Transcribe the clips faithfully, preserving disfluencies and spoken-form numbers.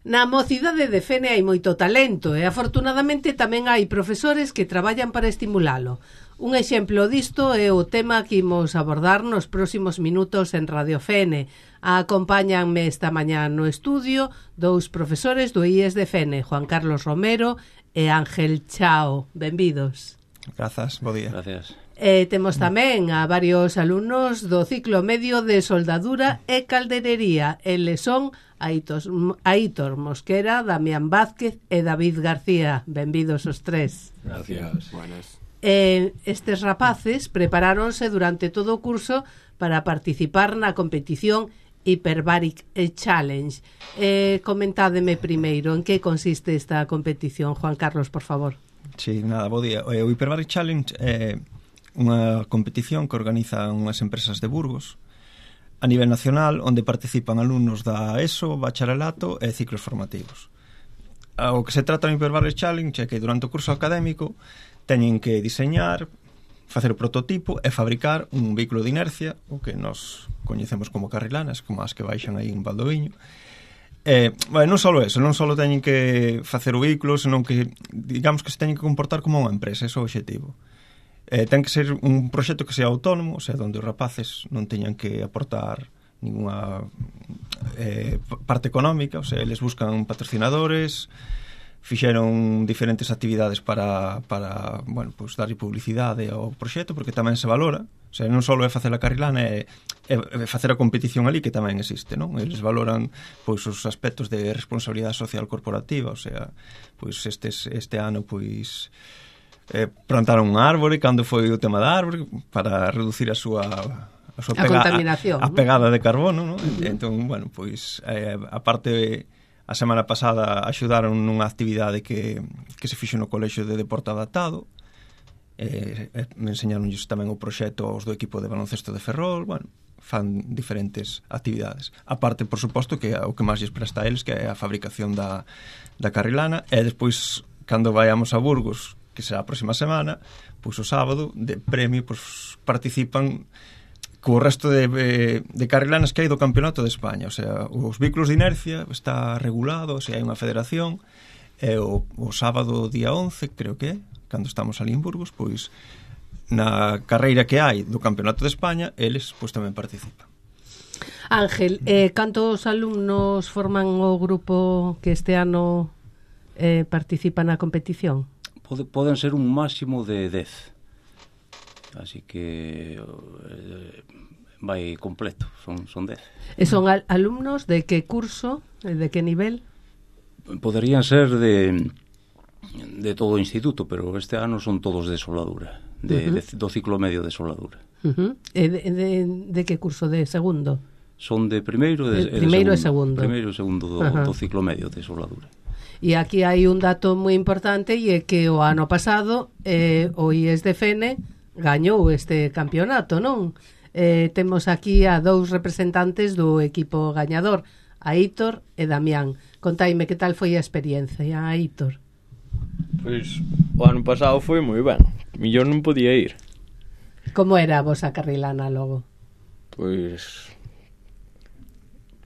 Na mocidade de Fene hai moito talento e afortunadamente tamén hai profesores que traballan para estimulalo. Un exemplo disto é o tema que imos abordar nos próximos minutos en Radio Fene. Acompáñanme esta mañá no estudio dous profesores do I E S de Fene, Juan Carlos Romero e Ángel Chao. Benvidos. Grazas, bo día. Gracias. E temos tamén a varios alumnos do ciclo medio de soldadura e calderería. Eles son Aitos, Aitor Mosquera, Damián Vázquez e David García. Benvidos os tres. Gracias. Buenas. Eh, estes rapaces preparáronse durante todo o curso para participar na competición Hyperbaric Challenge. Eh, comentádeme primeiro en que consiste esta competición, Juan Carlos, por favor. Sí, nada, bo día. O Hyperbaric Challenge é unha competición que organizan unhas empresas de Burgos a nivel nacional, onde participan alumnos da ESO, bacharelato e ciclos formativos. O que se trata do Hyperbaric Challenge é que durante o curso académico teñen que diseñar, facer o prototipo e fabricar un vehículo de inercia, o que nos coñecemos como carrilanas, como as que baixan aí en Valdoviño. Eh, bueno, non só eso, non só teñen que facer o vehículo, senón que, digamos que se teñen que comportar como unha empresa, ese é o objetivo. Eh, ten que ser un proxecto que sea autónomo, o sea, onde os rapaces non teñan que aportar ninguna eh, parte económica, o sea, eles buscan patrocinadores, fixeron diferentes actividades para, para bueno, pues, darlle publicidade ao proxecto, porque tamén se valora, o sea, non só é facer a carrilana, é, é facer a competición ali, que tamén existe, non? Eles valoran pois os aspectos de responsabilidade social corporativa, o sea, pois estes, este ano, pois eh, plantaron un árbore, cando foi o tema da árbore, para reducir a súa a, súa a pega, contaminación, a, a pegada de carbono, non? Uh-huh. Entón, bueno, pois eh, a parte a semana pasada axudaron nunha actividade que, que se fixo no Colexio de Deporte Adaptado. Eh, eh, me enseñaronlles tamén o proxecto aos do equipo de baloncesto de Ferrol. Bueno, fan diferentes actividades. A parte, por suposto, que o que máis lles presta a eles, que é a fabricación da, da carrilana, e despois, cando vayamos a Burgos, que será a próxima semana, pois o sábado, de premio, pois participan co resto de, de carrilanas que hai do Campeonato de España. O sea, os vehículos de inercia está regulado, o sea, hai unha federación, e o, o sábado día once, creo que é, cando estamos ali en Burgos, pois na carreira que hai do Campeonato de España, eles pois tamén participan. Ángel, eh, cantos alumnos forman o grupo que este ano eh, participa na competición? Pode, poden ser un máximo de dez. Así que eh, vai completo, son, son dez. E son al alumnos de que curso, de que nivel? Poderían ser de, de todo o instituto, pero este ano son todos de soldadura, de, uh-huh. de, do ciclo medio de soldadura. Uh-huh. E de, de, de que curso? De segundo? Son de primeiro e de, de, primeiro de segundo. segundo. Primeiro e segundo do, uh-huh. do ciclo medio de soldadura. E aquí hai un dato moi importante, e é que o ano pasado eh, o I E S de Fene gañou este campeonato, non? Eh, temos aquí a dous representantes do equipo gañador, Aitor e Damián. Contaime que tal foi a experiencia, Aitor. Pois o ano pasado foi moi ben, millón non podía ir. Como era a vosa carrilana logo? Pois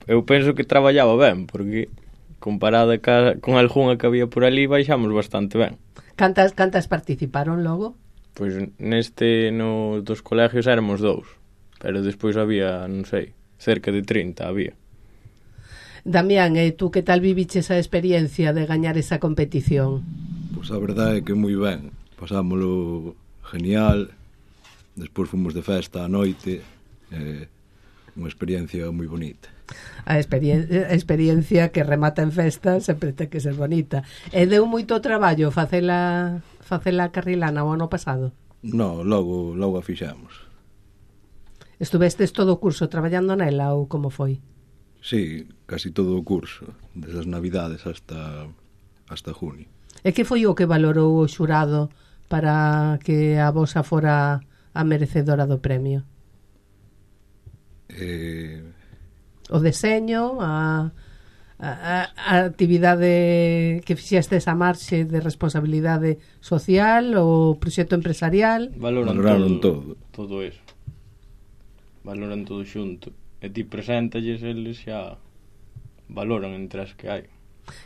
eu penso que traballaba ben, porque comparada ca, con algunha que había por ali baixamos bastante ben. Cantas, cantas participaron logo? Pois neste, no dos colegios éramos dous, pero despois había, non sei, cerca de trinta había. Damián, e tú que tal viviches a experiencia de gañar esa competición? Pois a verdade é que moi ben, pasámoslo genial, despois fomos de festa á noite, eh, unha experiencia moi bonita. A, experien a experiencia que remata en festa sempre ten que ser bonita. E deu moito traballo facela facela carrilana o ano pasado? No, logo, logo a fixemos. Estuvestes todo o curso traballando nela ou como foi? Sí, casi todo o curso, desde as navidades hasta, hasta junio. E que foi o que valorou o xurado para que a vosa fora a merecedora do premio? Eh... O deseño, a, a, a actividade que fixestes a marxe de responsabilidade social, o proxecto empresarial? Valoran, Valoraron todo, todo. todo eso. Valoran todo xunto. E ti preséntalles, eles xa valoran entre as que hai.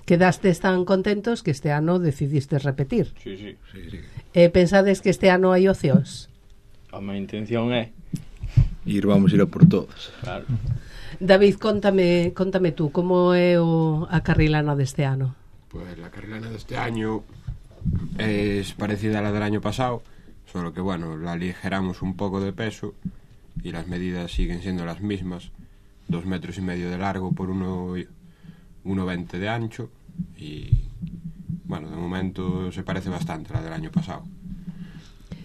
Quedastes tan contentos que este ano decidiste repetir. Sí, sí. Sí, sí. E pensades que este ano hai opcións? A miña intención é... Ir, vamos ir a por todas. Claro. David, contame, contame tú, como é o, a carrilana deste ano? Pues la carrilana de este año es parecida a la del año pasado, solo que bueno, la aligeramos un poco de peso y las medidas siguen siendo las mismas, dos metros y medio de largo por uno, uno veinte de ancho y bueno, de momento se parece bastante a la del año pasado.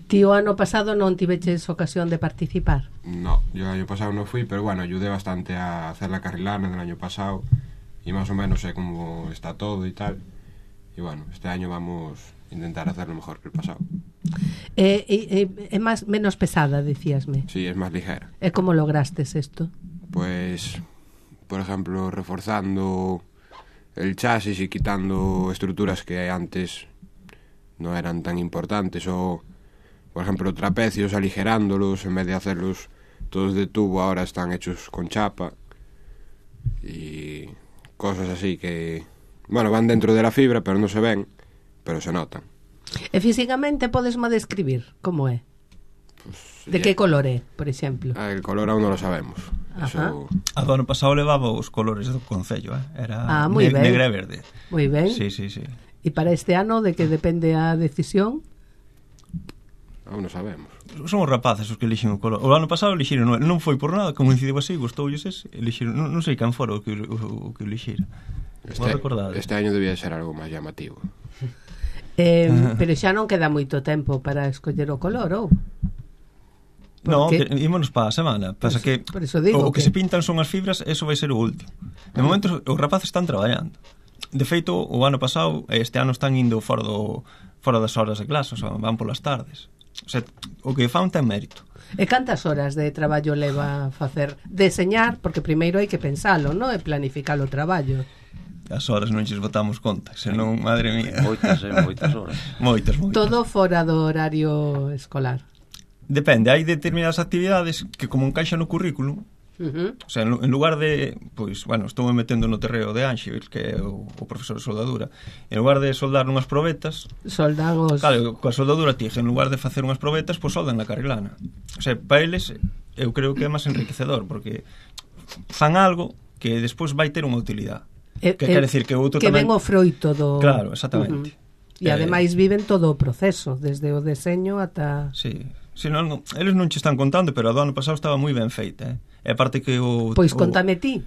Ti o ano pasado non tiveches ocasión de participar? No, yo el año pasado no fui, pero bueno, ayudé bastante a hacer la carrilana del año pasado y más o menos sé cómo está todo y tal. Y bueno, este año vamos a intentar hacerlo mejor que el pasado. É, é, é más, menos pesada, decíasme. Sí, es más ligera. E como lograstes isto? Pues, por ejemplo, reforzando el chasis y quitando estructuras que antes no eran tan importantes, o por ejemplo trapecios aligerándolos, en vez de hacerlos todos de tubo ahora están hechos con chapa y cosas así que, bueno, van dentro de la fibra pero no se ven, pero se notan. E físicamente podesme describir como é? Pues, De que color é, por exemplo? El color aún no lo sabemos. Ajá. Eso... A do ano pasado levaba os colores do concello, eh? Era Ah, moi ben. negre e verde. Moi ben. Sí, sí, sí. E para este ano, de que depende a decisión? Aún no sabemos. Son os rapaces os que elixen o color. O ano pasado elixiron, non, non foi por nada, como incidiu así, gustoulles ese, elixiron, non, non sei quen fora o que o, o que elixira. Este, este año debía ser algo máis llamativo. Eh, pero xa non queda moito tempo para escoller o color, ou? No, Porque... que ímonos para a semana. Pasa Por que, eso- por eso digo o, o que, que- se pintan son as fibras, eso vai ser o último. De momento os rapaces están traballando. De feito, o ano pasado e este ano están indo fora do fora das horas de clase, o sea, van polas tardes. O sea, o que fan ten mérito. E cantas horas de traballo leva facer deseñar, porque primeiro hai que pensalo, non? E planificar o traballo. As horas non lles botamos conta, senón, madre mía. Moitas, eh, moitas horas. Moitas, moitas. Todo fora do horario escolar. Depende, hai determinadas actividades que como encaixa no currículum. Uh-huh. O sea, en, en lugar de, pois, bueno, estou me metendo no terreo de Ángel, que é o, o profesor de soldadura. En lugar de soldar unhas probetas, Soldan os... claro, coa soldadura tija, en lugar de facer unhas probetas, pois soldan na carrilana. O sea, para eles, eu creo que é máis enriquecedor, porque fan algo que despois vai ter unha utilidade. E, Que quere decir que o outro que tamén... ven o froito do... Claro, exactamente. Uh-huh. E Eh, ademais viven todo o proceso, desde o deseño ata... Sí, si non, non, eles non che están contando, pero a do ano pasado estaba moi ben feita, eh? E aparte que o... Pois o, contame ti.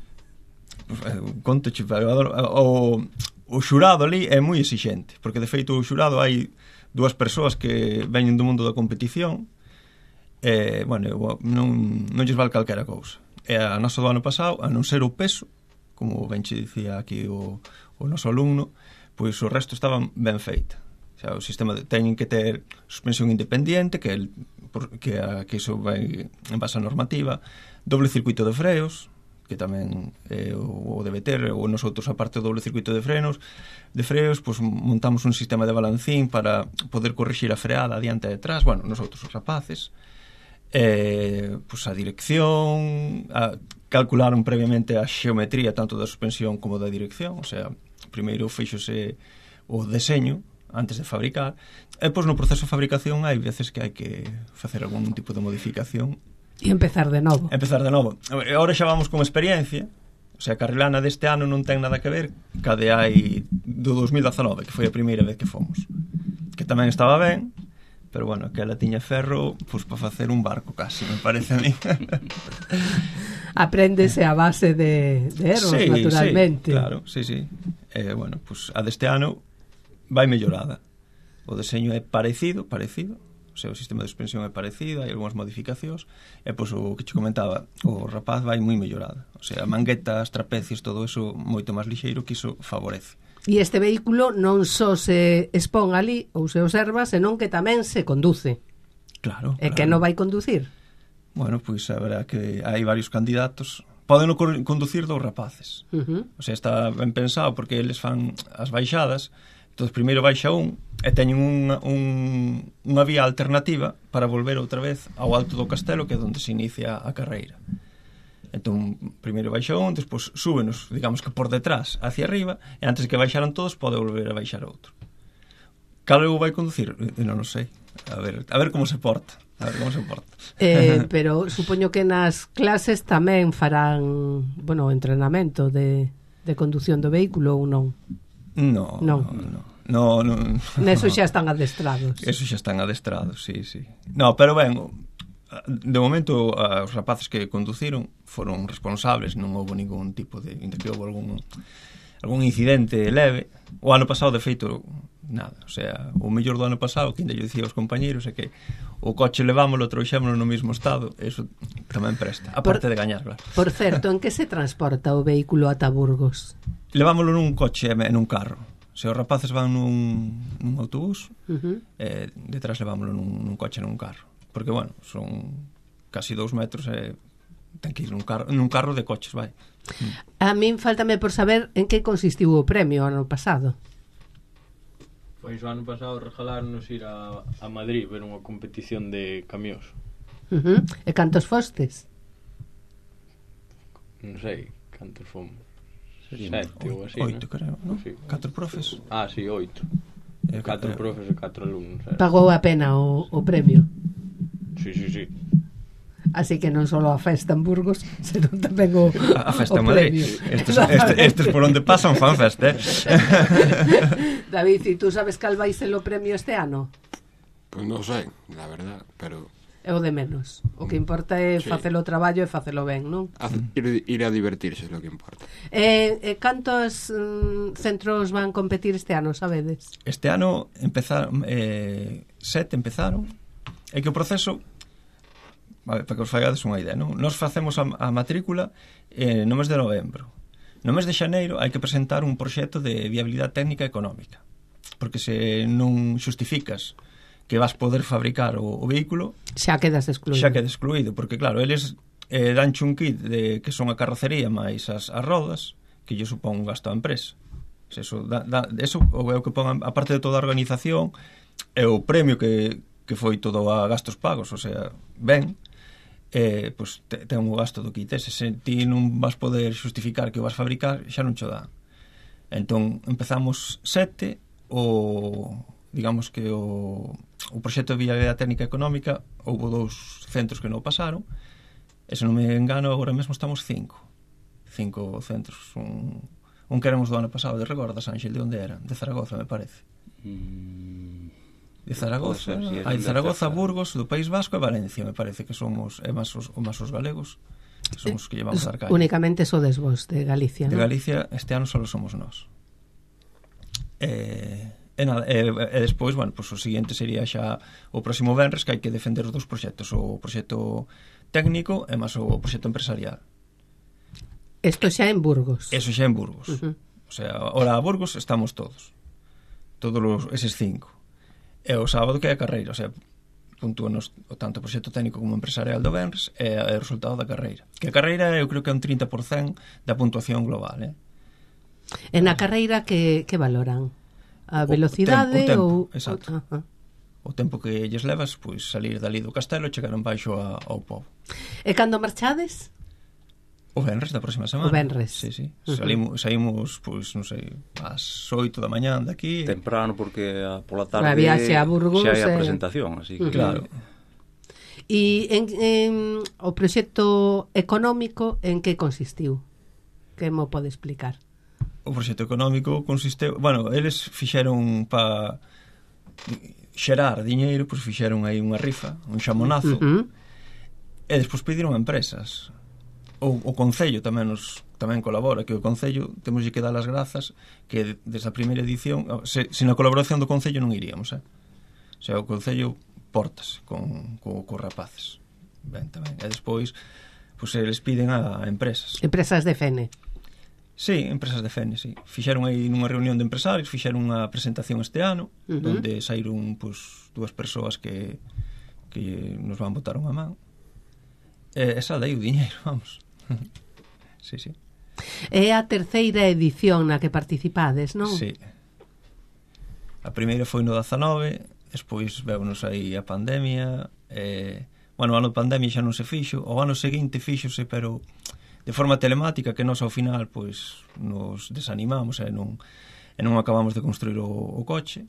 Conto che, pero o, o xurado ali é moi exixente, porque de feito o xurado hai dúas persoas que veñen do mundo da competición e, bueno, non, non lles vale calquera cousa. E a nosa do ano pasado, a non ser o peso, como ben che dicía aquí o, o noso alumno, pois o resto estaba ben feita. O sea, o sistema de, teñen que ter suspensión independiente, que, el, por, que, a, que iso vai en base a normativa, doble circuito de freos, que tamén eh, o, o debe ter, ou nosotros aparte do doble circuito de frenos, de freos, pues, montamos un sistema de balancín para poder corrixir a freada adiante e detrás, bueno, nosotros os rapaces, eh, pues, a dirección, a, calcularon previamente a xeometría tanto da suspensión como da dirección, o sea, primeiro fixose o deseño antes de fabricar, e pois no proceso de fabricación hai veces que hai que facer algún tipo de modificación E empezar de novo. empezar de novo. Agora xa vamos con experiencia, o sea, a carrilana deste ano non ten nada que ver ca de hai do dos mil dezanove, que foi a primeira vez que fomos, que tamén estaba ben, pero bueno, que ela tiña ferro pois para facer un barco casi, me parece a mí. Apréndese a base de, de erros, sí, naturalmente. Sí, claro, sí, sí. Eh, bueno, pues a deste ano vai mellorada. O deseño é parecido, parecido, o sea, o sistema de suspensión é parecido, hai algunhas modificacións, e pois o que che comentaba, o rapaz vai moi mellorada. O sea, manguetas, trapecios, todo eso moito máis lixeiro, que iso favorece. E este vehículo non só se expón ali ou se observa, senón que tamén se conduce. Claro, E claro. que non vai conducir? Bueno, pois a verá que hai varios candidatos. Poden conducir dous rapaces. Uh-huh. O sea, está ben pensado porque eles fan as baixadas. Entón, primeiro baixa un e teñen unha, un, unha vía alternativa para volver outra vez ao alto do castelo, que é onde se inicia a carreira. Entón, primeiro baixa un, despois súbenos, digamos que por detrás hacia arriba, e antes que baixaran todos pode volver a baixar outro. Cal eu vai conducir? Non o sei. A ver, a ver como se porta. A ver como se porta. Eh, pero supoño que nas clases tamén farán, bueno, entrenamento de, de condución do vehículo ou non? No, non. no, no. No, no. Neso xa están adestrados. Eso xa están adestrados, sí, sí. No, pero ben, de momento os rapaces que conduciron foron responsables, non houve ningún tipo de, ainda que houve algún algún incidente leve. O ano pasado, de feito, nada, o sea, o mellor do ano pasado, que ainda lle dicía aos compañeros, é que o coche levámoslo, trouxémoslo no mesmo estado, eso tamén presta, aparte por, de gañar, claro. Por certo, en que se transporta o vehículo ata Burgos? Levámoslo nun coche e nun carro. Se os rapaces van nun, nun autobús, uh-huh. eh, detrás levámoslo nun, nun coche e nun carro. Porque, bueno, son casi dous metros e ten que ir nun carro, nun carro de coches, vai. A min faltame por saber en que consistiu o premio ano pasado. Pois o ano pasado regalarnos ir a, a Madrid ver unha competición de camións. Uh-huh. E cantos fostes? Non sei cantos fomos. Sería Sete ou así, oito, ¿no? creo, non? Sí. Catro profes. Ah, sí, oito. Eh, Catro eh, profes e catro alumnos. Eh. Pagou a pena o, o premio. Sí, sí, sí. Así que non só a festa en Burgos, senón tamén o, a festa o en Madrid. premio. Estes, estes, estes por onde pasan fan festa, eh? David, e tú sabes cal vai ser o premio este ano? Pois non sei, la verdad, pero É o de menos. O que importa é sí. facelo o traballo e facelo ben, non? ir, ir a divertirse é o que importa. E, e cantos mm, centros van competir este ano, sabedes? Este ano empezaron eh, sete empezaron. É que o proceso, a ver, para que os fagades unha idea, non? Nos facemos a, a matrícula eh, no mes de novembro. No mes de xaneiro hai que presentar un proxecto de viabilidade técnica e económica, porque se non xustificas que vas poder fabricar o, o vehículo, xa quedas excluído. Xa quedas excluído, porque claro, eles eh, danche un kit de que son a carrocería máis as, as rodas, que lle supón un gasto á empresa. Se eso, da, da, eso é o que pon, a parte de toda a organización, é o premio que, que foi todo a gastos pagos, o sea, ben, eh, pues, te, ten un gasto do kit ese. Se ti non vas poder xustificar que o vas fabricar, xa non cho dá. Entón, empezamos sete, o digamos que o, o proxecto de viabilidade técnica económica houve dous centros que non pasaron, e se non me engano agora mesmo estamos cinco cinco centros, un, un que éramos do ano pasado, de recordas, Ángel, de onde era? De Zaragoza, me parece. De Zaragoza, si hai Zaragoza, Burgos, do País Vasco e Valencia, me parece que somos é máis os, máis os galegos, que somos os que llevamos a Arcaia. Únicamente sodes vos de Galicia, de non? Galicia este ano só somos nós. Eh E, nada, e, e despois, bueno, pues o seguinte sería xa o próximo venres, que hai que defender os dous proxectos, o proxecto técnico e máis o proxecto empresarial. Isto xa en Burgos. Eso xa en Burgos. Uh-huh. O sea, ahora a Burgos estamos todos. Todos los, eses cinco. E o sábado que é a carreira, o sea, puntúanos o tanto o proxecto técnico como empresarial do venres e o resultado da carreira. Que a carreira eu creo que é un trinta por cento da puntuación global, eh? En a carreira que, que valoran? A velocidade o tempo, o ou... tempo, exacto. Uh -huh. O tempo que lles levas, pois salir dali do castelo e chegar en baixo a, ao pobo. E cando marchades? O venres da próxima semana. O venres. Sí, sí. Uh -huh. Salimos, saímos, pois, non sei, ás oito da mañán daqui. Temprano, porque a, pola tarde a viaxe a Burgos xa hai a e... presentación, así que... Claro. E en, en o proxecto económico en que consistiu? Que mo pode explicar? O proxecto económico consisteu... Bueno, eles fixeron pa xerar diñeiro, pois fixeron aí unha rifa, un xamonazo, uh -huh. e despois pediron a empresas. O, o Concello tamén nos tamén colabora, que o Concello temos que dar as grazas que desde a primeira edición, se, se na colaboración do Concello non iríamos, eh? O sea, o Concello portas con, con, con rapaces. Ben, tamén. E despois, pois eles piden a, a empresas. Empresas de Fene. Sí, empresas de Fene, sí. Fixeron aí nunha reunión de empresarios, fixeron unha presentación este ano, uh -huh. onde saíron pues, dúas persoas que, que nos van botar unha man. E esa dai o diñeiro, vamos. Sí, sí. É a terceira edición na que participades, non? Sí. A primeira foi no dezanove, despois veunos aí a pandemia, e, bueno, o ano de pandemia xa non se fixo, o ano seguinte fíxose, pero de forma telemática, que nós ao final pois nos desanimamos e non, e non acabamos de construir o, o coche.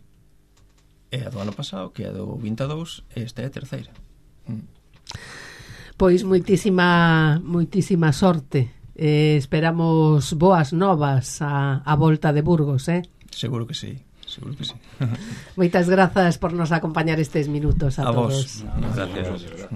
E a do ano pasado, que é do vinte e dous, esta é a terceira. Mm. Pois moitísima moitísima sorte. Eh, esperamos boas novas a, a volta de Burgos, eh? Seguro que sí, seguro que sí. Moitas grazas por nos acompañar estes minutos a, a todos. Vos. Gracias.